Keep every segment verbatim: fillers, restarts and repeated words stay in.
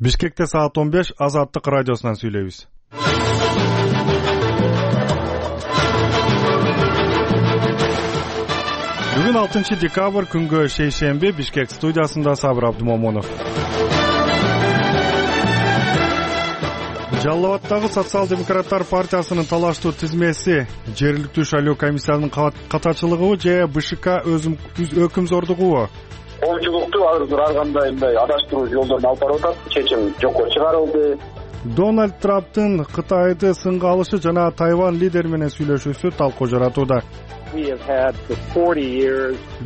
Бишкекте саат он беш Азаттык радиосунан сүйлөйбүз. Бүгүн алтынчы декабрь күнгө шейшемби. Бишкек студиясында Сабыр Абдумомунов. Жалал-Абаддагы социал-демократтар партиясынын талаштуу тизмеси жергиликтүү шайлоо комиссиянын катачылыгыбы же БШК өкүмзордугубу? Коомчулукту азыр ар кандай мындай адаштыруу жолдорун алып барып атат. Чечим жокко чыгарылды. Дональд Трамптын Кытайды сынга алышы жана Тайвань лидери менен сүйлөшүүсү талкуу жаратууда.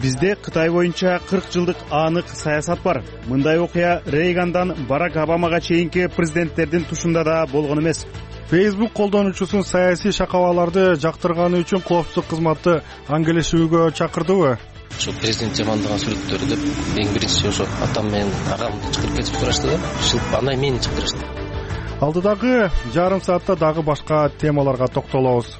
Бизде Кытай боюнча кырк жылдык анык саясат бар. Мындай окуя Рейгандан Барак Обамага чейинки президенттердин тушунда да болгон эмес. Facebook колдонуучусун саясий шакабаларды жактырганы үчүн коопсуздук кызматы аңгелешүүгө чакырдыбы? Ошо президент жамандаган сүрөттөрү деп эң биринчи ошо атам менен агам чыгарып кетип турашты да. Шылып андан мени чыгарышты. Алдыдагы жарым саатта дагы башка темаларга токтолобуз.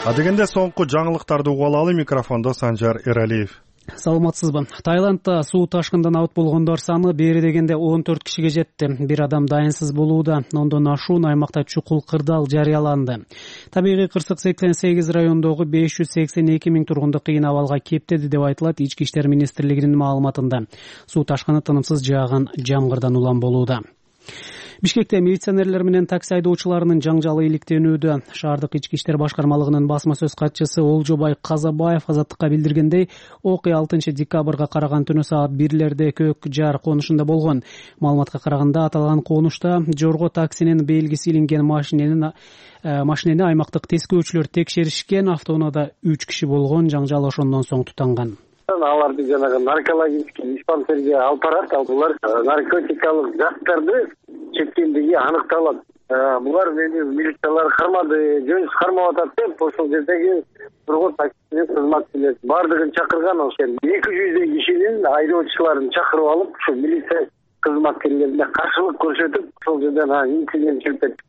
Адегенде соңку жаңылыктарды угуп алалы. Микрофондо Санжар Эралиев. Саламатсызбы? Таиландда суу ташкындан абыт болгондор саны бери дегенде он төрт кишиге жетти. Бир адам дайынсыз болууда. Ондон ашуун аймакта чукул кырдаал жарыяланды. Табигый кырсык сексен сегиз райондогу беш жүз сексен эки миң тургунду кыйын абалга кептеди деп айтылат Ички иштер министрлигинин маалыматында. Суу ташкыны тынымсыз жааган жамгырдан улам болууда. Бишкекте милиционерлер менен такси айдоочуларынын жаңжалы иликтенүүдө. Шаардык ички иштер башкармалыгынын басма сөз катчысы Олжобай Казабаев Азаттыкка билдиргендей, окуя алтынчы декабрга караган түнү саат бирлерде Көк Жар конушунда болгон. Маалыматка караганда аталган конушта жорго таксинин белгиси илинген машинени машинени аймактык тескөөчүлөр текшеришкен. Автоунаада үч киши болгон. Жаңжал ошондон соң тутанган. Аларды жанагы наркологический диспансерге алып барат. Алар наркотикалык заттарды чеккендиги аныкталат. Булар мени милициялар кармады, жөнсүз кармап атат деп ошол жердеги тургун таксинин кызматкерлери бардыгын чакырган. Ошол эки жүздөй кишинин айдоочуларын чакырып алып, ушу милиция кызматкерлерине каршылык көрсөтүп, ошол жерден инцидент чыгып кетти.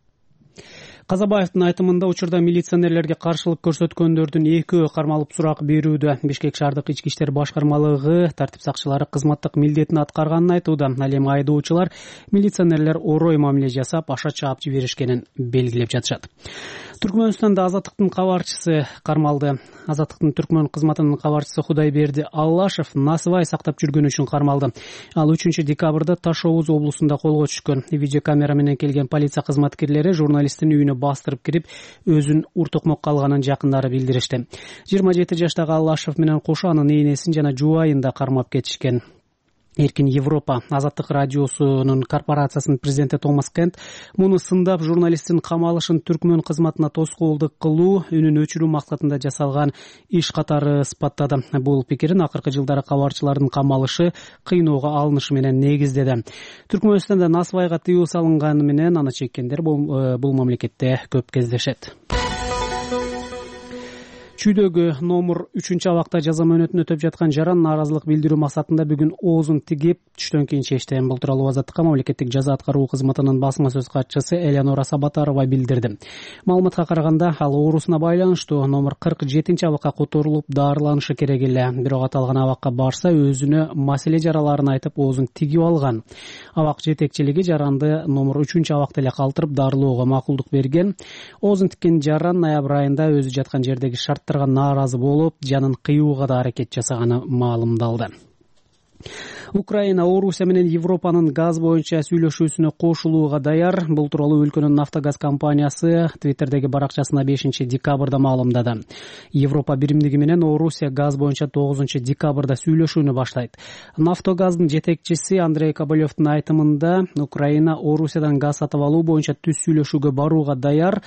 Казабаевдин айтымында учурда милиционерлерге каршылык көрсөткөндөрдүн экөө кармалып сурак берүүдө. Бишкек шаардык ички иштер башкармалыгы тартип сакчылары кызматтык милдетин аткарганын айтууда. Ал эми айдоочулар милиционерлер орой мамиле жасап, аша чаап жиберишкенин белгилеп жатышат. Түркмөнстанда Азаттыктын кабарчысы кармалды. Азаттыктын Түркмөн кызматынын кабарчысы Кудайберди Аллашев насыбай сактап жүргөнү үчүн кармалды. Ал үчүнчү декабрда Таш Оуз облусунда колго түшкөн. Видеокамера менен келген полиция кызматкерлери журналисттин үйүнө бастырып кирип, өзүн уртукмокко алганын жакындары билдиришти. жыйырма жети жаштагы Аллашев менен кошо анын ийнесин жана жубайын да кармап кетишкен. Эркин Европа Азаттык радиосунун корпорациясынын президенти Томас Кент муну сындап журналисттин камалышын Түркмөн кызматына тоскоолдук кылуу, үнүн өчүрүү максатында жасалган иш катары ыспаттады. Бул пикирин акыркы жылдары кабарчылардын камалышы кыйноого алынышы менен негиздеди. Түркмөнстанда насыбайга тыюу салынганы менен аны чеккендер бул, бул мамлекетте көп кездешет. Чүйдөгү номер үчүнчү абакта жаза мөөнөтүн өтөп жаткан жаран нааразылык билдирүү максатында бүгүн оозун тигип түштөн кийин чечти. Бул тууралуу Азаттыкка мамлекеттик жаза аткаруу кызматынын басма сөз катчысы Элеонора Сабатарова билдирди. Маалыматка караганда ал оорусуна байланыштуу номер кырк жетинчи абакка которулуп дарыланышы керек эле. Бирок аталган абакка барса өзүнө маселе жараларын айтып оозун тигип алган. Абак жетекчилиги жаранды номер үчүнчү абакта эле калтырып дарылоого макулдук берген. Оозун тиккен жаран ноябрь айында өзү жаткан жердеги шарт нааразы болуп, жанын кыюуга да аракет жасаганы маалымдалды. Украина Орусия менен Европанын газ боюнча сүйлөшүүсүнө кошулууга даяр. Бул тууралуу өлкөнүн Нафтогаз компаниясы Твиттердеги баракчасына бешинчи декабрда маалымдады. Европа биримдиги менен Орусия газ боюнча тогузунчу декабрда сүйлөшүүнү баштайт. Нафтогаздын жетекчиси Андрей Коболевдин айтымында Украина Орусиядан газ сатып алуу боюнча түз сүйлөшүүгө барууга даяр.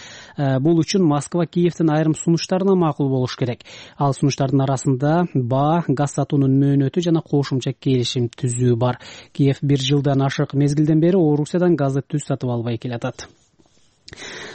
Бул үчүн Москва Киевдин айрым сунуштарына макул болуш керек. Ал сунуштардын арасында баа, газ сатуунун мөөнөтү жана кошумча келишим түзүү бар. Киев бир жылдан ашык мезгилден бери Орусиядан газды түз сатып албай келатат.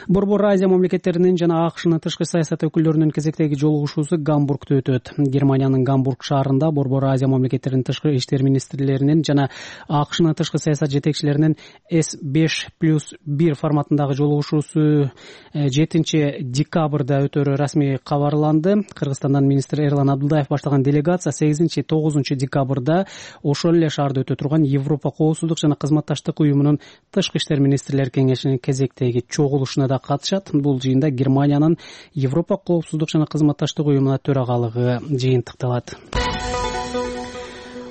Борбор Азия мамлекеттеринин жана АКШнын тышкы саясат өкүлдөрүнүн кезектеги жолугушуусу Гамбургда өтөт. Германиянын Гамбург шаарында Борбор Азия мамлекеттеринин тышкы иштер министрлеринин жана АКШнын тышкы саясат жетекчилеринин эс беш плюс бир форматындагы жолугушуусу жетинчи декабрда өтөрү расмий кабарланды. Кыргызстандан министр Эрлан Абдулдаев баштаган делегация сегизинчи тогузунчу декабрда ошол эле шаарда өтө турган Европа коопсуздук жана кызматташтык уюмунун тышкы иштер министрлер кеңешинин кезектеги чогулушуна да катышат. Бул жыйында Германиянын Европа коопсуздук жана кызматташтык уюмуна төрагалыгы жыйынтыкталат.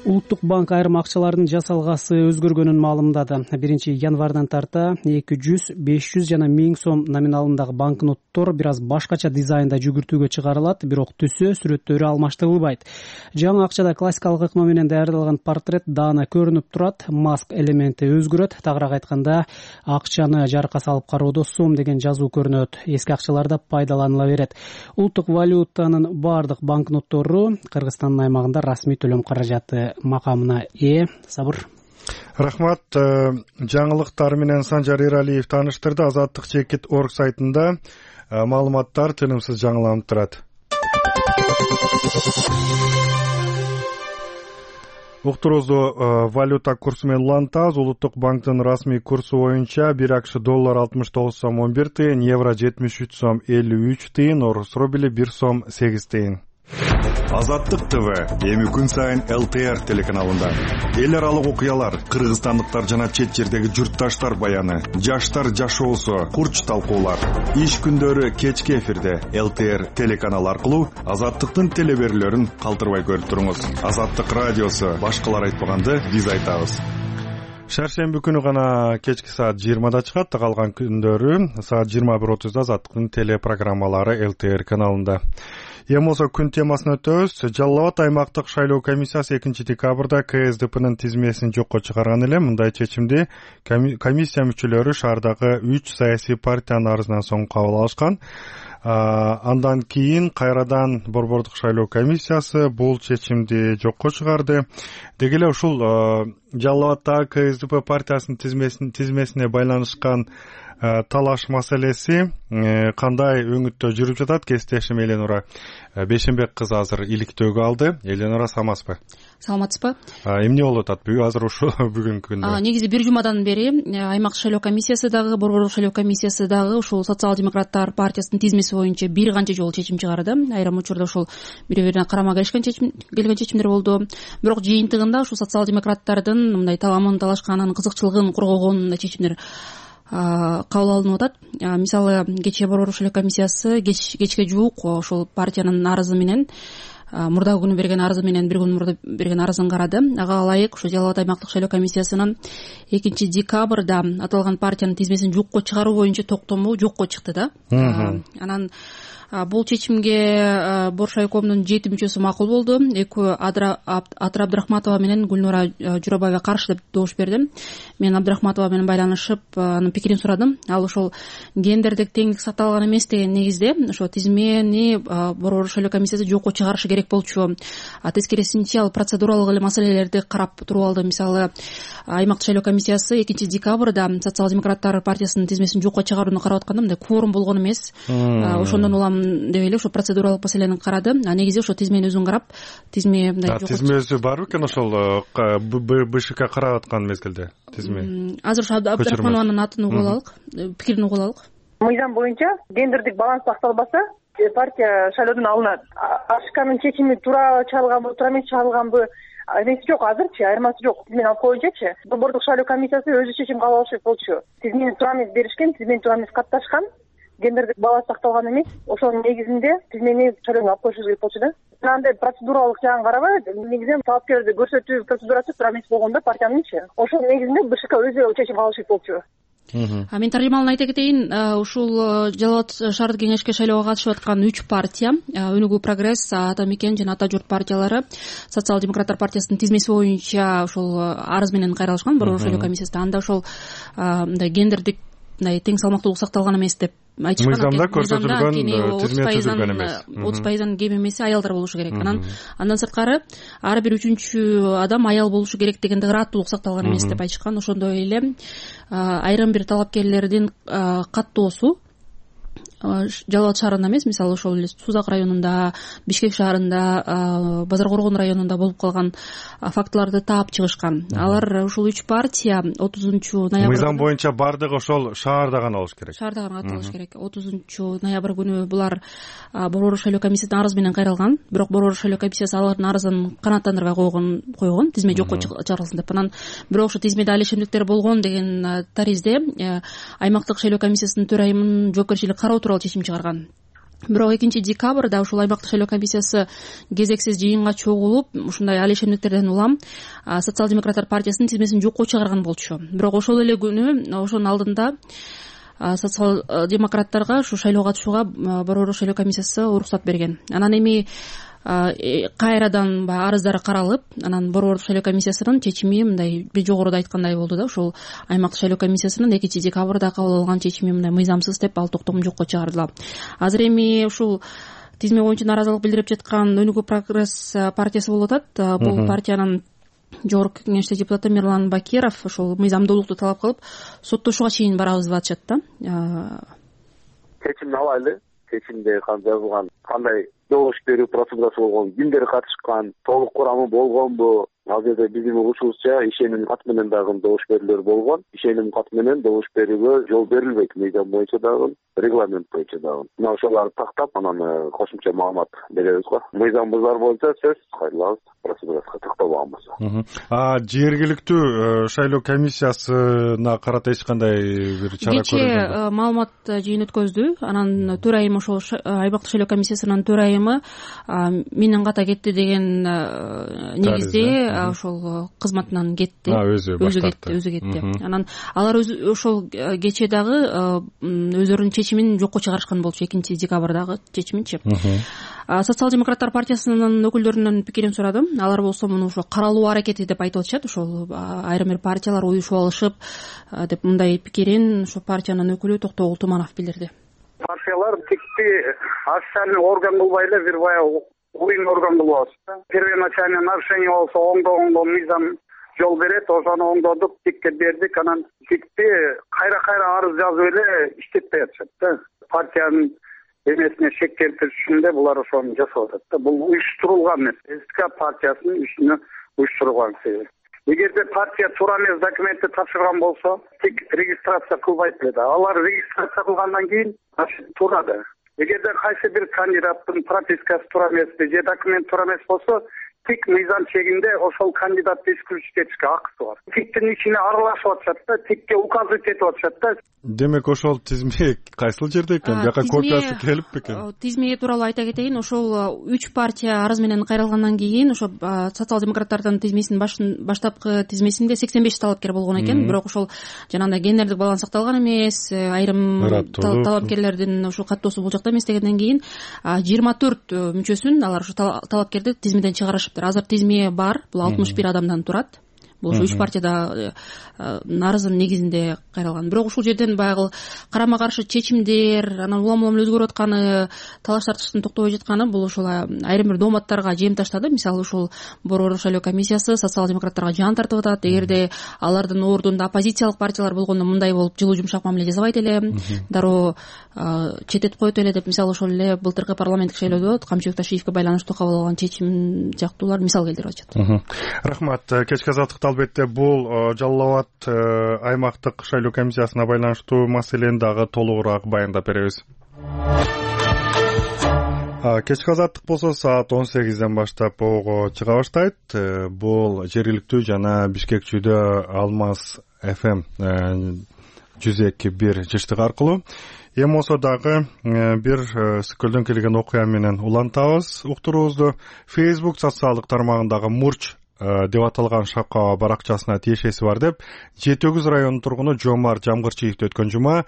Улуттук банк айрым акчалардын жасалгасы өзгөргөнүн маалымдады. биринчи январдан тарта эки жүз, беш жүз жана миң сом номиналындагы банкноттор бир аз башкача дизайнда жүгүртүүгө чыгарылат, бирок түсү, сүрөттөрү алмаштырылбайт. Жаңы акчада классикалык ыкма менен даярдалган портрет даана көрүнүп турат, маск элементи өзгөрөт. Тагыраак айтканда, акчаны жарыкка салып кароодо сом деген жазуу көрүнөт. Эски акчаларда пайдаланыла берет. Улуттук валютанын бардык банкноттору Кыргызстандын аймагында расмий төлөм каражаты макамына ээ. Сабыр. Рахмат. Жаңылыктар менен Санжар Эралиев тааныштырды. Азаттык чекит точка орг сайтында маалыматтар тынымсыз жаңыланып турат. Уктуруусу валюта курсу менен улантабыз. Улуттук банктын расмий курсу боюнча бир акш доллар алтымыш тогуз сом он бир тыйын, евро жетимиш үч сом элүү үч тыйын, орус рубли бир сом сегиз тыйын. Азаттык ТВ эми күн сайын эл тэ эр телеканалында эл аралык окуялар, кыргызстандыктар жана чет жердеги журтташтар баяны, жаштар жашоосу, курч талкуулар. Иш күндөрү кечки эфирде эл тэ эр телеканалы аркылуу Азаттыктын телеберүүлөрүн калтырбай көрүп туруңуз. Азаттык радиосу башкалар айтпаганды биз айтабыз. Шаршемби күнү гана кечки саат жыйырмада чыгат, калган күндөрү саат жыйырма бир отузда Азаттыктын телепрограммалары эл тэ эр каналында. Эми болсо күн темасына өтөбүз. Жалал Абад аймактык шайлоо комиссиясы экинчи декабрда ка эс дэ пнын тизмесин жокко чыгарган эле. Мындай чечимди комиссия мүчөлөрү шаардагы үч саясий партиянын арызынан соң кабыл алышкан. Андан кийин кайрадан борбордук шайлоо комиссиясы бул чечимди жокко чыгарды. Деги эле ушул Жалал Абаддагы ка эс дэ пэ партиясынын тизмесин тизмесине байланышкан талаш маселеси кандай өңүттө жүрүп жатат? Кесиптешим Эленора Бешенбек кызы азыр иликтөөгө алды. Эленора, саламатсызбы? Саламатсызбы? Эмне болуп атат азыр ушул бүгүнкү күндө? Негизи бир жумадан бери аймак шайлоо комиссиясы дагы, борбордук шайлоо комиссиясы дагы ушул социал-демократтар партиясынын тизмеси боюнча бир канча жолу чечим чыгарды. Айрым учурда ушул бири-бирине карама келишкен чечим келген чечимдер болду. Бирок жыйынтыгында ушул социал-демократтардын мындай таламын талашканын, кызыкчылыгын коргогон чечимдер кабыл алынып атат. Мисалы, кечээ борбордук шайлоо комиссиясы кечке жуук ошол партиянын арызы менен, мурдагы күнү берген арызы менен бир күн мурда берген арызын карады. Ага ылайык ушу Жалал Абад аймактык шайлоо комиссиясынын экинчи декабрда аталган партиянын тизмесин жокко чыгаруу боюнча токтому жокко чыкты да. Анан бул чечимге Боршайкомдун жети мүчөсү макул болду. Экөө Атыр Абдрахматова менен Гүлнура Журабаева каршы деп добуш берди. Мен Абдрахматова менен байланышып, анын пикирин сурадым. Ал ошол гендердик теңдик сакталган эмес деген негизде ошо тизмени борбордук шайлоо комиссиясы жокко чыгарышы керек болчу. Тескерисинче ал процедуралык эле маселелерди карап туруп алды. Мисалы, аймактык шайлоо комиссиясы экинчи декабрда социал-демократтар партиясынын тизмесин жокко чыгарууну карап атканда мындай кворум болгон эмес. Ошондон улам деп эле ошо процедуралык маселени карады. А негизи ошо тизмени өзүн карап, тизме мындай тизме өзү барбы экен ошол бэ шэ ка карап аткан мезгилде тизме? Азыр ошо Абдрахманованын атын угуп алалык, пикирин угуп алалык. Мыйзам боюнча гендердик баланс сакталбаса, партия шайлоодон алынат. Ашканын чечими туура чыгарылганбы, туура эмес чыгарылганбы эмеси жок, азырчы айырмасы жок. Тизмени алып коюнчачы борбордук шайлоо комиссиясы өзү чечим кабыл алышы болчу. Тизмени туура эмес беришкен, тизмени туура эмес катташкан, гендердик баланс сакталган эмес. Ошонун негизинде тизмени шайлоого алып коюшубуз керек болчу да. Андай процедуралык жагын карабай, негизинен талапкерди көрсөтүү процедурасы туура эмес болгондо партиянынчы. Ошонун негизинде бэ шэ ка өзү чечим кабыл алышы болчу. А мен таржымалын айта кетейин, ушул Жалал Абад шаардык кеңешке шайлоого катышып аткан үч партия, Өнүгүү Прогресс, Ата Мекен жана Ата Журт партиялары социал-демократтар партиясынын тизмеси боюнча ушул арыз менен кайрылышкан борбордук шайлоо комиссиясында. Анда ошол мындай гендердик мындай тең салмактуулук сакталган эмес деп айтышкан. Мыйзамда көрсөтүлгөн тизме түзүлгөн эмес. отуз пайыздан кем эмеси аялдар болушу керек. Анан андан сырткары ар бир үчүнчү адам аял болушу керек дегенде ырааттуулук сакталган эмес деп айтышкан. Ошондой эле айрым бир талапкерлердин каттоосу Жалал абад шаарында эмес, мисалы ошол эле Сузак районунда, Бишкек шаарында, Базар Коргон районунда болуп калган фактыларды таап чыгышкан. Алар ушул үч партия отузунчу ноябрь мыйзам боюнча бардыгы ошол шаарда гана болуш керек. Шаарда гана катталыш керек. отузунчу ноябрь күнү булар Борбордук шайлоо комиссиясынын арызы менен кайрылган. Бирок Борбордук шайлоо комиссиясы алардын арызын канааттандырбай койгон, койгон, тизме жокко чыгарылсын деп. Анан бирок ошо тизмеде алишемдиктер болгон деген таризде аймактык шайлоо комиссиясынын төрайымынын жоопкерчилиги кароо тууралуу чечим чыгарган. Бирок экинчи декабрда ушул аймактык шайлоо комиссиясы кезексиз жыйынга чогулуп, ушундай алишемдиктерден улам Социал-демократтар партиясынын тизмесин жокко чыгарган болчу. Бирок ошол эле күнү, ошонун алдында социал-демократтарга ушу шайлоого катышууга Борбордук шайлоо комиссиясы уруксат берген. Анан эми кайрадан баягы арыздары каралып, анан Борбордук шайлоо комиссиясынын чечими мындай жогоруда айткандай болду да, ушул аймактык шайлоо комиссиясынын экинчи декабрда кабыл алган чечими мындай мыйзамсыз деп ал токтом жокко чыгарылды. Азыр эми ушул тизме боюнча нааразылык билдирип жаткан Өнүгүү прогресс партиясы болуп атат. Бул партиянын жогорку кеңеште депутаты Мирлан Бакиров ушул мыйзамдуулукту талап кылып, соттошууга чейин барабыз деп атышат да. Чечимди алайлы. Чечимде жазылган кандай добуш берүү процедурасы болгон, кимдер катышкан, толук курамы болгонбу? Ал жерде биздин угушубузча ишеним кат менен дагы добуш берүүлөр болгон. Ишеним кат менен добуш берүүгө жол берилбейт, мыйзам боюнча дагы, регламент боюнча дагы. Мына ошолорду тактап, анан кошумча маалымат беребиз го. Мыйзам бузар боюнча сөз кайрылабыз, процедурасына тактабаган болсо. А жергиликтүү шайлоо комиссиясына карата эч кандай бир чара көрүлдүбү? Кечээ маалымат жыйын өткөздү. Анан төрайым ошол аймактык шайлоо комиссиясынын төрайымы менен ката кетти деген негизде ошол кызматынан кетти. Өзү кетти, өзү кетти. Анан алар ошол кечээ дагы өздөрүнүн чечимин жокко чыгарышкан болчу, экинчи декабрдагы чечиминчи. Социал-демократтар партиясынын өкүлдөрүнөн пикирин сурадым. Алар болсо муну ошо каралуу аракети деп айтып атышат. Ошол айрым бир партиялар уюшуп алышып деп мындай пикирин ошо партиянын өкүлү Токтогул Туманов билдирди. Партиялар тикти официальный орган кылбай эле бир баягы уюм орган кылып атышты. Первоначальный нарушение болсо оңдогонго мыйзам жол берет, ошону оңдодук, тикке бердик. Анан тикти кайра-кайра арыз жазып эле иштетпей атышат да. Партиянын эмесине шек келтириш үчүн да булар ошону жасап атат да. Бул уюштурулган эмес. СК партиясынын ишине уюштурулган себеп. Эгерде партия туура эмес документти тапшырган болсо, тик регистрация кылбайт эле да. Алар регистрация кылгандан кийин туура да. Эгерде кайсы бир кандидаттын пропискасы туура эмес же документ туура эмес болсо, тик мыйзам чегинде ошол кандидатты исключить этишке акысы бар. Тиктин ичине аралашып атышат да, тикке указывать этип атышат да. Демек ошол тизме кайсыл жерде экен? Жака копиясы келип бекен? Тизме тууралуу айта кетейин. Ошол үч партия арыз менен кайрылгандан кийин ошо социал-демократтардын тизмесинин баштапкы тизмесинде сексен беш талапкер болгон экен. Бирок ошол жанагындай гендердик баланс сакталган эмес, айрым талапкерлердин ошо каттоосу бул жакта эмес дегенден кийин жыйырма төрт мүчөсүн алар ошо талапкерди тизмеден чыгарышыптыр. Азыр тизме бар. Бул алтымыш бир адамдан турат. Бул ушу үч партияда арыздын негизинде кайрылган. Бирок ушул жерден баягы карама каршы чечимдер, анан улам улам өзгөрүп атканы, талаш тартыштын токтобой жатканы бул ошол айрым бир дооматтарга жем таштады. Мисалы ушул Борбордук шайлоо комиссиясы социал-демократтарга жан тартып атат. Эгерде алардын ордунда оппозициялык партиялар болгондо мындай болуп жылуу жумшак мамиле жасабайт эле, дароо чететип коет эле деп, мисалы ошол эле былтыркы парламенттик шайлоодо Камчыбек Ташиевке байланыштуу кабыл алган чечим жактуулар мисал келтирип атышат. Рахмат. Кечки азаттыкта албетте бул Жалал абад аймактык шайлоо комиссиясына байланыштуу маселени дагы толугураак баяндап беребиз. Кечки азаттык болсо саат он сегизден баштап ого чыга баштайт. Бул жергиликтүү жана Бишкекчүүдө Алмаз эф эм жүз эки бир жыштыгы аркылуу, эми болсо дагы бир көздөн келген окуя менен улантабыз уктуруубузду. Facebook социалдык тармагындагы Мурч деп аталган шапка баракчасына тиешеси бар деп жети өгүз районунун тургуну Жомарт Жамгырчиевди өткөн жума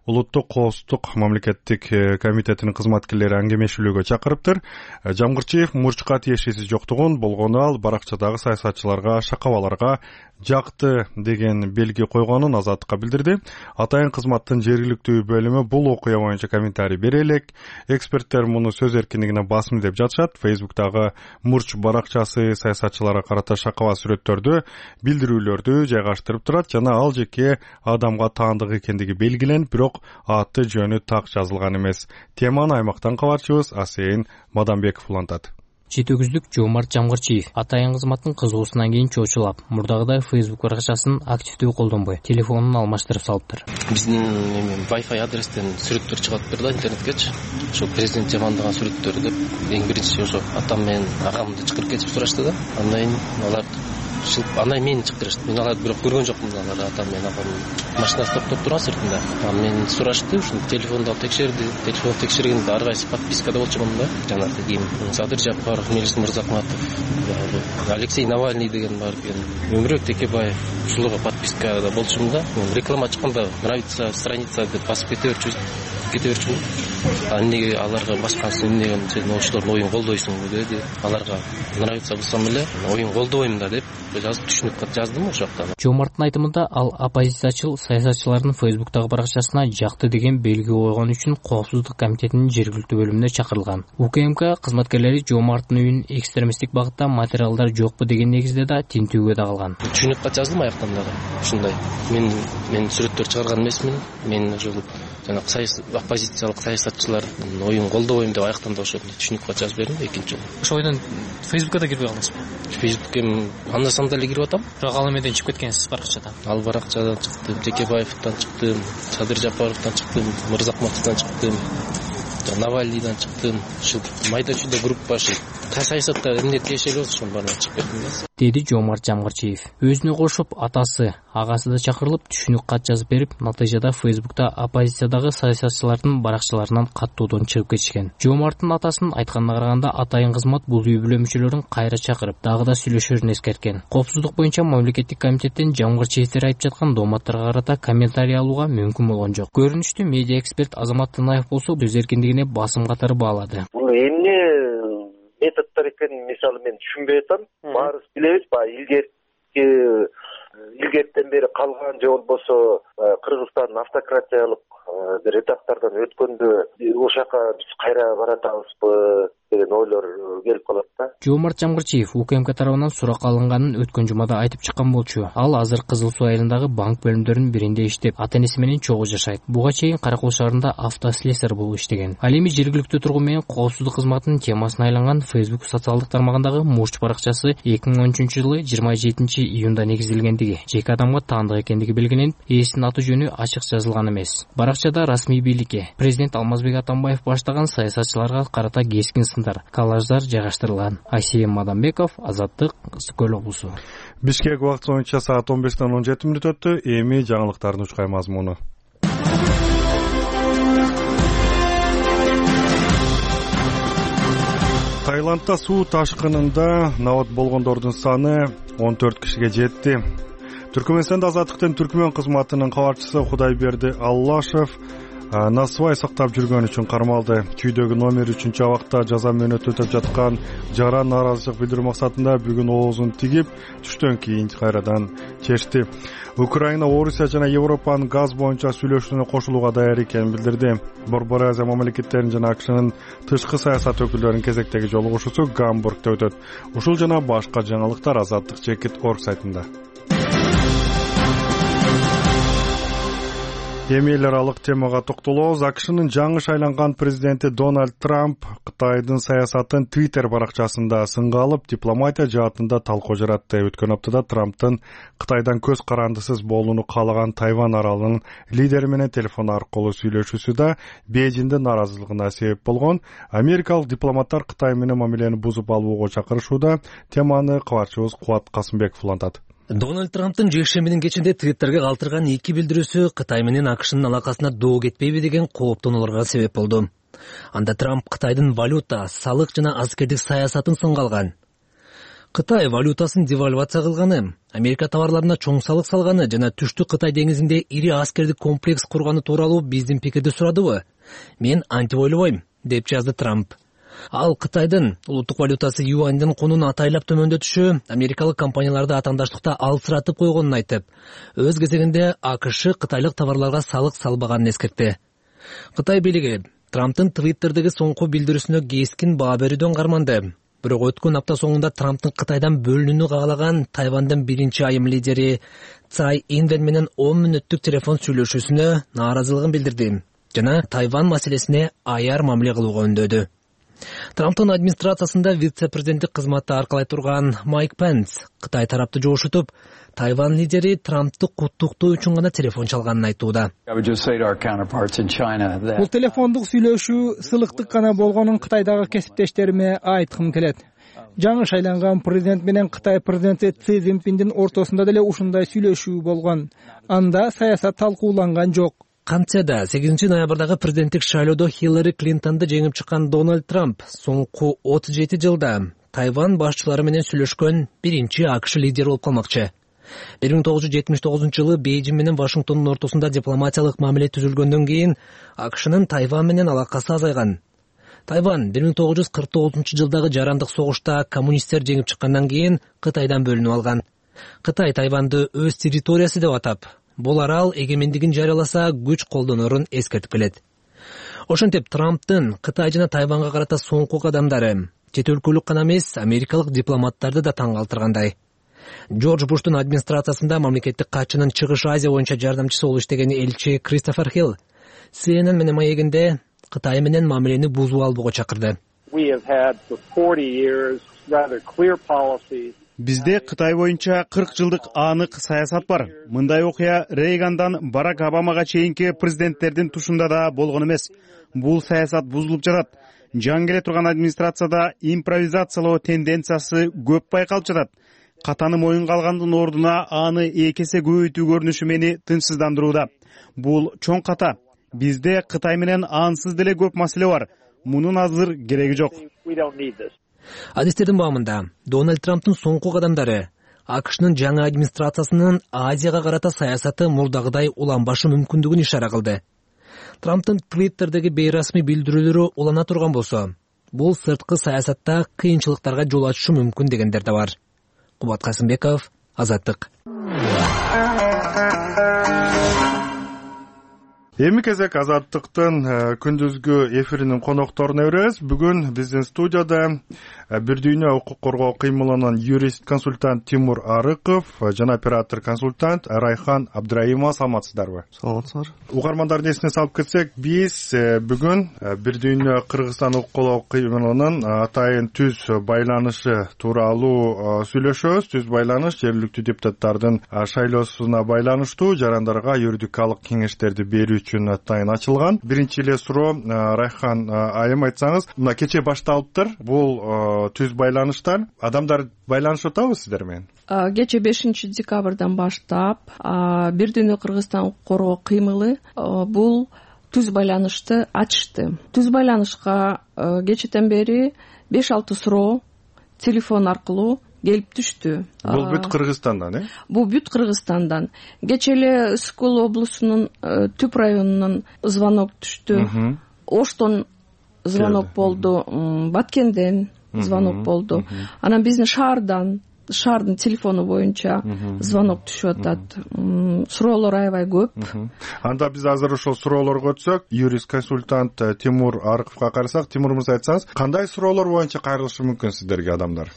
улуттук коопсуздук мамлекеттик комитетинин кызматкерлери аңгемешүүлөөгө чакырыптыр. Жамгырчиев мурчка тиешеси жоктугун, болгону ал баракчадагы саясатчыларга, шакабаларга жакты деген белги койгонун Азаттыкка билдирди. Атайын кызматтын жергиликтүү бөлүмү бул окуя боюнча комментарий бере элек. Эксперттер муну сөз эркиндигине басым деп жатышат. Фейсбуктагы Мурч баракчасы саясатчыларга карата шакаба сүрөттөрдү, билдирүүлөрдү жайгаштырып турат жана ал жеке адамга таандык экендиги белгиленип, бирок аты жөнү так жазылган эмес. Теманы аймактан кабарчыбыз Асейин Мадамбеков улантат. Жетөгүздүк Жомарт Жамгырчиев атайын кызматтын кызуусунан кийин чоочулап, мурдагыдай Facebook баракчасын активдүү колдонбой, телефонун алмаштырып салыптыр. Биздин Wi-Fi адрестен сүрөттөр чыгат берди интернеткечи. Ошо президент жамандаган сүрөттөр деп эң биринчи ошо атам менен агамды чакырып кетип сурашты да. Андан кийин алар андан мени чакырышты. Мен аларды бирок көргөн жокмун, алар атам менен агамдын машинасы токтоп турган сыртында. Анан мени сурашты, ушул телефонду алып текшерди. Телефон текшергенде ар кайсы подпискада болчумун да. Жанагы ким Садыр Жапаров, Мелис Мырзахматов, Алексей Навальный деген бар экен. Өмүрбек Текебаев ушуларга подпискада болчумун да. Реклама чыкканда нравится страница деп басып кете берчү. Кете берчү. Эмнеге аларга баскансың, эмнеге сен ошолордун оюн колдойсуң деди. Аларга нравится болсом эле оюн колдобойм да деп жазып түшүнүп жаздым ошокта. Жомарттын айтымында ал оппозициячыл саясатчылардын Фейсбуктагы баракчасына жакты деген белги койгон үчүн коопсуздук комитетинин жергиликтүү бөлүмүнө чакырылган. УКМК кызматкерлери Жомарттын үйүн экстремисттик багытта материалдар жокпу деген негизде да тинтүүгө да калган. Түшүнүп жаздым аяктан дагы. Ушундай. Мен мен сүрөттөр чыгарган эмесмин. Мен ошол жана оппозициялык саясатчылардын оюн колдобойм деп аяктан да ошо түшүнүп жазып бердим экинчи жолу. Ошо ойдон Фейсбукка да кирбей калдыңызбы? Фейсбукка анда санда эле кирип атам. Бирок ал эмеден чыгып кеткенсиз баракчадан. Ал баракчадан чыктым, Текебаевден чыктым, Садыр Жапаровдон чыктым, Мырзахматовдон чыктым, Навальныйдан чыктым. Ушул майда чүйдө группа ушул саясатта эмне тиешелүү болсо ошонун баарына чыгып кеттим да. Деди Жомарт Жамгырчиев. Өзүнө кошуп атасы, агасы да чакырылып түшүнүк кат жазып берип, натыйжада Фейсбукта оппозициядагы саясатчылардын баракчаларынан каттуудон чыгып кетишкен. Жомарттын атасынын айтканына караганда атайын кызмат бул үй бүлө мүчөлөрүн кайра чакырып, дагы да сүйлөшөрүн эскерткен. Коопсуздук боюнча мамлекеттик комитеттен Жамгырчиевдер айтып жаткан дооматтарга карата комментарий алууга мүмкүн болгон жок. Көрүнүштүү медиа эксперт Азамат Тынаев болсо сөз эркиндигине басым катары баалады. Бул эмне методдор экенин мисалы мен түшүнбөй атам. Баарыбыз билебиз, баягы илгерки илгертен бери калган же болбосо Кыргызстан автократиялык бир этаптардан өткөндө ошол жака биз кайра баратабызбы деген ойлор келип калат да. Жомарт Жамгырчиев УКМК тарабынан сурак алынганын өткөн жумада айтып чыккан болчу. Ал азыр Кызыл Суу айылындагы банк бөлүмдөрүнүн биринде иштеп, ата-энеси менен чогуу жашайт. Буга чейин Каракөл шаарында автослесарь болуп иштеген. Ал эми жергиликтүү тургун менен коопсуздук кызматынын темасына айланган Facebook социалдык тармагындагы Мурч баракчасы эки миң он үчүнчү жылы жыйырма жетинчи июнда негизделгендиги, жеке адамга таандык экендиги белгиленип, ээсинин аты жөнү ачык жазылган эмес. Баракчада расмий бийликке президент Алмазбек Атамбаев баштаган саясатчыларга карата кескин сындар, коллаждар жайгаштырылган. Асейин Мадамбеков, Азаттык, Ысык Көл облусу. Бишкек убакыты боюнча саат он бештен он жети мүнөт өттү. Эми жаңылыктардын учкай мазмуну. Таиландда суу ташкынында набат болгондордун саны он төрт кишиге жетти. Түркмөнстанда Азаттыктын түркмөн кызматынын кабарчысы Кудайберди Аллашев насыбай сактап жүргөн үчүн кармалды. Чүйдөгү номер үчүнчү абакта жаза мөөнөтү өтөп жаткан Жара нааразычылык билдирүү максатында бүгүн оозун тигип, түштөн кийин кайрадан чечти. Украина, Орусия жана Европанын газ боюнча сүйлөшүүнү кошулууга даяр экенин билдирди. Борбор Азия мамлекеттеринин жана АКШнын тышкы саясат өкүлдөрүнүн кезектеги жолугушуусу Гамбургда өтөт. Ушул жана башка жаңылыктар Азаттык чекит точка орг сайтында. Эми эл аралык темага токтолобуз. АКШнын жаңы шайланган президенти Дональд Трамп Кытайдын саясатын Twitter баракчасында сынга алып, дипломатия жаатында талкуу жаратты. Өткөн аптада Трамптын Кытайдан көз карандысыз болууну каалаган Тайвань аралынын лидери менен телефон аркылуу сүйлөшүүсү да Бейжиңдин нааразылыгына себеп болгон. Америкалык дипломаттар Кытай менен мамилени бузуп алууга чакырышууда. Теманы кабарчыбыз Кубат Касымбеков улантат. Дональд Трамптын жекшембинин кечинде Твиттерге калтырган эки билдирүүсү Кытай менен АКШнын алакасына доо кетпейби деген кооптонууларга себеп болду. Анда Трамп Кытайдын валюта, салык жана аскердик саясатын сынга алган. Кытай валютасын девальвация кылганы, Америка товарларына чоң салык салганы жана Түштүк Кытай деңизинде ири аскердик комплекс курганы тууралуу биздин пикирди сурадыбы? Мен антип ойлобойм, деп жазды Трамп. Ал Кытайдын улуттук валютасы юандын кунун атайлап төмөндөтүшү америкалык компанияларды атаандаштыкта алсыратып койгонун айтып, өз кезегинде АКШ кытайлык товарларга салык салбаганын эскертти. Кытай бийлиги Трамптын Твиттердеги соңку билдирүүсүнө кескин баа берүүдөн карманды. Бирок өткөн апта соңунда Трамптын Кытайдан бөлүнүүнү каалаган Тайвандын биринчи айым лидери Цай Инвен менен он мүнөттүк телефон сүйлөшүүсүнө нааразылыгын билдирди жана Тайван маселесине аяр мамиле кылууга үндөдү. Трамптын администрациясында вице-президенттик кызматты аркалай турган Майк Пенс Кытай тарапты жоошутуп, Тайван лидери Трампты куттуктоо үчүн гана телефон чалганын айтууда. Бул телефондук сүйлөшүү сылыктык гана болгонун Кытайдагы кесиптештериме айткым келет. Жаңы шайланган президент менен Кытай президенти Си Цзиньпиндин ортосунда деле ушундай сүйлөшүү болгон. Анда саясат талкууланган жок. Кантсе да сегизинчи ноябрдагы президенттик шайлоодо Хиллари Клинтонду жеңип чыккан Дональд Трамп соңку отуз жети жылда Тайван башчылары менен сүйлөшкөн биринчи АКШ лидери болуп калмакчы. бир миң тогуз жүз жетимиш тогузунчу жылы Бейжиң менен Вашингтондун ортосунда дипломатиялык мамиле түзүлгөндөн кийин АКШнын Тайван менен алакасы азайган. Тайван бир миң тогуз жүз кырк тогузунчу жылдагы жарандык согушта коммунисттер жеңип чыккандан кийин Кытайдан бөлүнүп алган. Кытай Тайванды өз территориясы деп атап, бул арал эгемендигин жарыяласа күч колдонорун эскертип келет. Ошентип Трамптын Кытай жана Тайванга карата соңку кадамдары чет өлкөлүк гана эмес, америкалык дипломаттарды да таң калтыргандай. Джордж Буштун администрациясында мамлекеттик катчынын Чыгыш Азия боюнча жардамчысы болуп иштеген элчи Кристофер Хилл Си Эн Эн менен маегинде Кытай менен мамилени бузуп албоого чакырды. Бизде Кытай боюнча кырк жылдык анык саясат бар. Мындай окуя Рейгандан Барак Обамага чейинки президенттердин тушунда да болгон эмес. Бул саясат бузулуп жатат. Жаңы келе турган администрацияда импровизациялоо тенденциясы көп байкалып жатат. Катаны моюнга алгандын ордуна аны эки эсе көбөйтүү көрүнүшү мени тынчсыздандырууда. Бул чоң ката. Бизде Кытай менен ансыз деле көп маселе бар. Мунун азыр кереги жок. Адистердин баамында Дональд Трамптын соңку кадамдары АКШнын жаңы администрациясынын Азияга карата саясаты мурдагыдай уланбашы мүмкүндүгүн ишара кылды. Трамптын Твиттердеги бейрасмий билдирүүлөрү улана турган болсо, бул сырткы саясатта кыйынчылыктарга жол ачышы мүмкүн дегендер да бар. Кубат Касымбеков, Азаттык. Эми кезек Азаттыктын күндүзгү эфиринин конокторуна беребиз. Бүгүн биздин студияда Бир дүйнө укук коргоо кыймылынын юрист консультант Тимур Арыков жана оператор консультант Райхан Абдраимова. Саламатсыздарбы? Саламатсыздар. Угармандардын эсине салып кетсек, биз бүгүн Бир дүйнө Кыргызстан укук коргоо кыймылынын атайын түз байланышы тууралуу сүйлөшөбүз. Түз байланыш жергиликтүү депутаттардын шайлоосуна байланыштуу жарандарга юридикалык кеңештерди берүү үчүн атайын ачылган. Биринчи эле суроо, Райхан айым, айтсаңыз, мына кечээ башталыптыр бул түз байланыштар. Адамдар байланышып атабы сиздер менен? Кечээ бешинчи декабрдан баштап Бир дүйнө Кыргызстан укук коргоо кыймылы бул түз байланышты ачышты. Түз байланышка кечээден бери беш алты суроо телефон аркылуу келип түштү. Бул бүт Кыргызстандан, э? Бул бүт Кыргызстандан. Кечээ эле Ысыкул облусунун Түп районунан звонок түштү. Оштон звонок болду, Баткенден звонок болду. Анан биздин шаардан, шаардын телефону боюнча звонок түшүп атат. Суроолор аябай көп. Анда биз азыр ошол суроолорго өтсөк, юрист консультант Тимур Арыковго карасак, Тимур мырза, айтсаңыз, кандай суроолор боюнча кайрылышы мүмкүн сиздерге адамдар?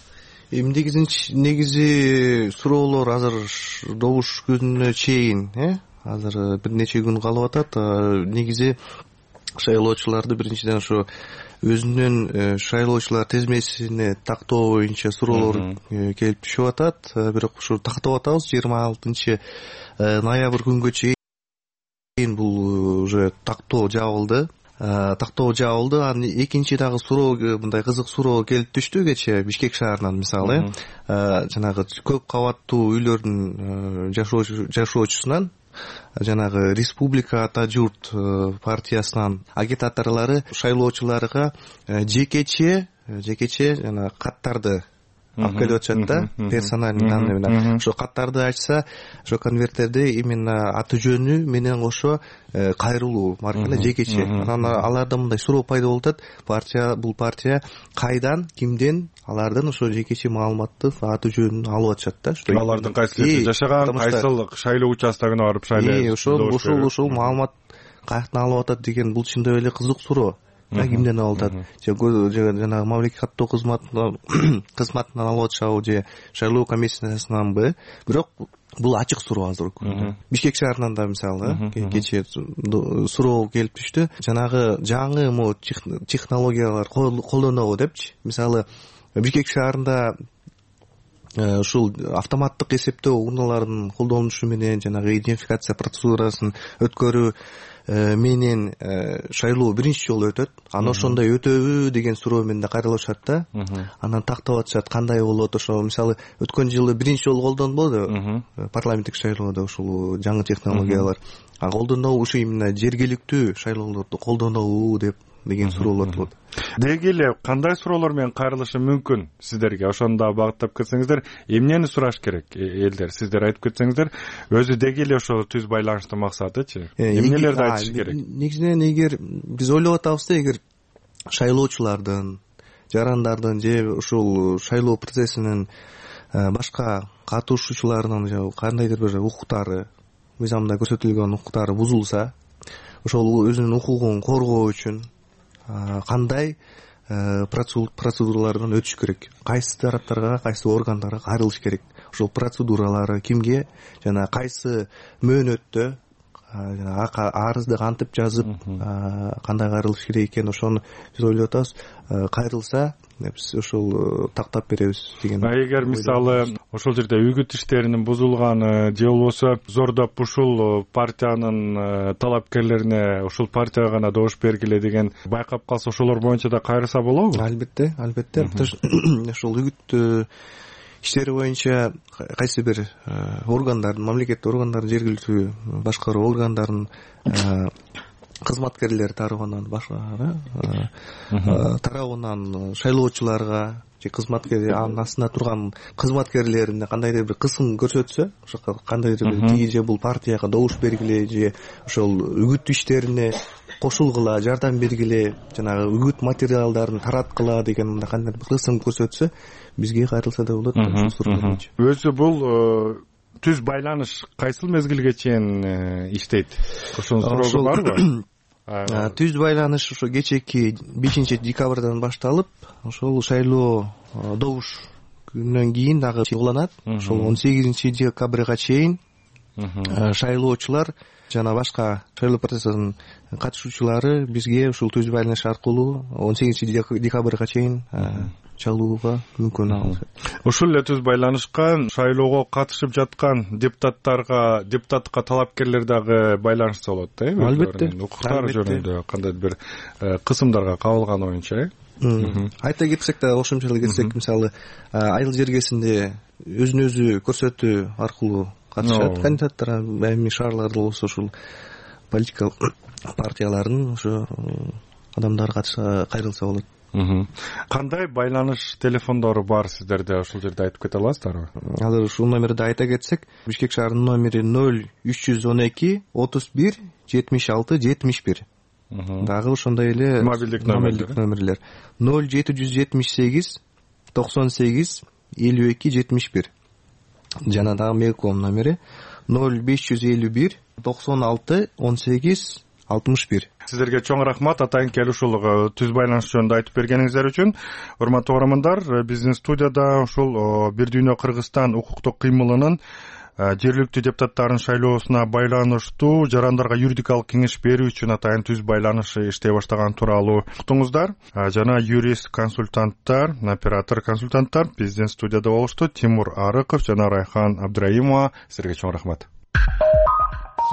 Эми негизи суроолор азыр добуш күнүнө чейин, э? Азыр бир нече күн калып атат. Негизи шайлоочуларды биринчиден ошо өзүнүн шайлоочулар тизмесине тактоо боюнча суроолор келип түшүп атат. Бирок ушу тактап атабыз жыйырма алтынчы ноябрь күнгө чейин бул уже тактоо жабылды. Тактоо жабылды. Анан экинчи дагы суроо, мындай кызык суроо келип түштү кечээ Бишкек шаарынан, мисалы, жанагы көп кабаттуу үйлөрдүн жашоочусунан, жанагы Республика Ата журт партиясынын агитаторлору шайлоочуларга жекече жекече жана каттарды алып келип атышат да, персональный данный менен. Ошо каттарды ачса, ошо конверттерде именно аты жөнү менен кошо кайрылуу марка жекече. Анан аларда мындай суроо пайда болуп атат. Партия, бул партия кайдан, кимден алардан ошо жекече маалыматты, аты жөнүн алып атышат да. Алардын кайсы жерде жашаган, кайсыл шайлоо участогуна барып шайлоо. Ошол ушул ушул маалымат каяктан алып атат деген бул чындап эле кызык суроо. Кимден алып атат? Же жанагы мамлекеттик каттоо кызматынан кызматынан алып атышабы же шайлоо комиссиясынанбы? Бирок бул ачык суроо азыр. Бишкек шаарынан да мисалы кечээ суроо келип түштү. Жанагы жаңы мо технологиялар колдонобу депчи. Мисалы Бишкек шаарында ушул автоматтык эсептөө урналарынын колдонулушу менен жанагы идентификация процедурасын өткөрүү менен шайлоо биринчи жолу өтөт. Аны ошондой өтөбү деген суроо менен да кайрылышат да. Анан тактап атышат кандай болот. Ошо мисалы өткөн жылы биринчи жолу колдонбодубу парламенттик шайлоодо ушул жаңы технологиялар. А колдонобу ушу именно жергиликтүү шайлоолорду колдонобу деп деген суроолор болот. Деги эле кандай суроолор менен кайрылышы мүмкүн сиздерге? Ошону да багыттап кетсеңиздер, эмнени сураш керек элдер? Сиздер айтып кетсеңиздер, өзү деги эле ошо түз байланыштын максатычы. Эмнелерди айтыш керек? Негизинен эгер биз ойлоп атабыз да, эгер шайлоочулардын, жарандардын же ушул шайлоо процессинин башка катышуучуларынын же кандайдыр бир укуктары, мыйзамда көрсөтүлгөн укуктары бузулса, ошол өзүнүн укугун коргоо үчүн кандай процедуралардан өтүш керек, кайсы тараптарга, кайсы органдарга кайрылыш керек, ошол процедуралары кимге жана кайсы мөөнөттө жана арызды кантип жазып кандай кайрылыш керек экен, ошону биз ойлоп атабыз. Кайрылса биз ошол тактап беребиз деген. А эгер мисалы ошол жерде үгүт иштеринин бузулганы же болбосо зордоп ушул партиянын талапкерлерине ушул партияга гана добуш бергиле деген байкап калса, ошолор боюнча да кайрылса болобу? Албетте, албетте. Ошол үгүт иштери боюнча кайсы бир органдардын, мамлекеттик органдардын, жергиликтүү башкаруу органдарынын кызматкерлери тарабынан башка тарабынан шайлоочуларга же кызматкер анын астында турган кызматкерлерине кандайдыр бир кысым көрсөтсө, ошо кандайдыр бир тиги же бул партияга добуш бергиле же ошол үгүт иштерине кошулгула, жардам бергиле, жанагы үгүт материалдарын тараткыла деген мындай кандайдыр бир кысым көрсөтсө, бизге кайрылса да болот. Өзү бул түз байланыш кайсыл мезгилге чейин иштейт? Ошонун суроосу барбы? Түз байланыш ошо кечээки бешинчи декабрдан башталып, ошол шайлоо добуш күнүнөн кийин дагы уланат. Ошол он сегизинчи декабрга чейин шайлоочулар жана башка шайлоо процессинин катышуучулары бизге ушул түз байланыш аркылуу он сегизинчи декабрга чейин чалууга мүмкүн алышат. Ушул эле түз байланышка шайлоого катышып жаткан депутаттарга, депутаттыкка талапкерлер дагы байланышса болот да, эми? Албетте. Укуктары жөнүндө кандайдыр бир кысымдарга кабылган оюнча, э? Айта кетсек да, кошумчалап кетсек, мисалы, айыл жергесинде өзүн өзү көрсөтүү аркылуу катышат кандидаттар, эми шаарларда болсо ушул политикалык партиялардын ошо адамдары кайрылса болот. Кандай байланыш телефондору бар сиздерде, ошол жерде айтып кете аласыздарбы? Азыр ушул номерди айта кетсек, Бишкек шаарынын номери ноль үч жүз он эки отуз бир жетимиш алты жетимиш бир. Дагы ошондой эле мобилдик номерлер ноль жети жүз жетимиш сегиз токсон сегиз элүү эки жетимиш бир. Жана дагы мейлком номери ноль беш жүз элүү бир токсон алты он сегиз алтымыш бир. Сиздерге чоң рахмат атайын келип ушул түз байланыш жөнүндө айтып бергениңиздер үчүн. Урматтуу угармандар, биздин студияда ушул Бир дүйнө Кыргызстан укуктук кыймылынын жергиликтүү депутаттардын шайлоосуна байланыштуу жарандарга юридикалык кеңеш берүү үчүн атайын түз байланыш иштей баштаган тууралуу уктуңуздар. Жана юрист консультанттар, оператор консультанттар биздин студияда болушту. Тимур Арыков жана Райхан Абдраимова. Силерге чоң рахмат.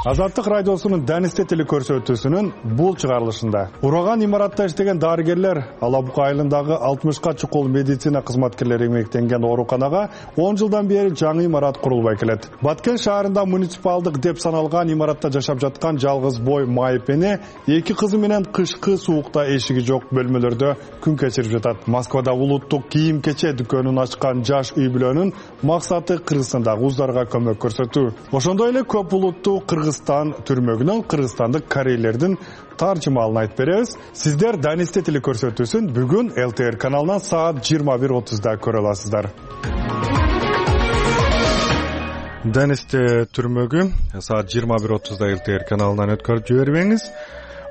Азаттык радиосунун Данисте телекөрсөтүүсүнүн бул чыгарылышында ураган имаратта иштеген дарыгерлер Алабука айылындагы алтымышка чукул медицина кызматкерлери эмгектенген ооруканага он жылдан бери жаңы имарат курулбай келет. Баткен шаарында муниципалдык деп саналган имаратта жашап жаткан жалгыз бой майып эне эки кызы менен кышкы суукта эшиги жок бөлмөлөрдө күн кечирип жатат. Москвада улуттук кийим-кече дүкөнүн ачкан жаш үй бүлөнүн максаты Кыргызстандагы уздарга көмөк көрсөтүү. Ошондой эле көп улуттуу Кыргызстан түрмөгүнөн кыргызстандык корейлердин таржымалын айтып беребиз. Сиздер Данисте телекөрсөтүүсүн бүгүн эл тэ эр каналынан саат жыйырма бир отузда көрө аласыздар. Данисте түрмөгү саат жыйырма бир отузда эл тэ эр каналынан өткөрүп жибербеңиз.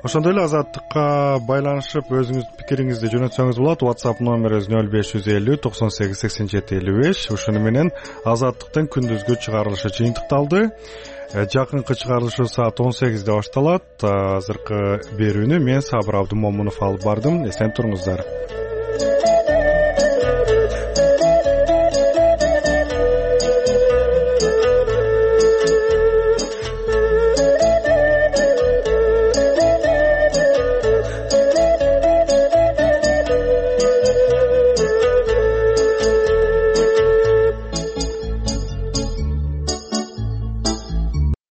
Ошондой эле Азаттыкка байланышып өзүңүздүн пикириңизди жөнөтсөңүз болот. WhatsApp номерибиз нөл беш жүз элүү токсон сегиз сексен жети элүү беш. Ушуну менен Азаттыктын күндүзгү чыгарылышы жыйынтыкталды. Жакынкы чыгарылышы саат он сегизде башталат. Азыркы берүүнү мен Сабыр Абдымомунов алып бардым. Эсен туруңуздар.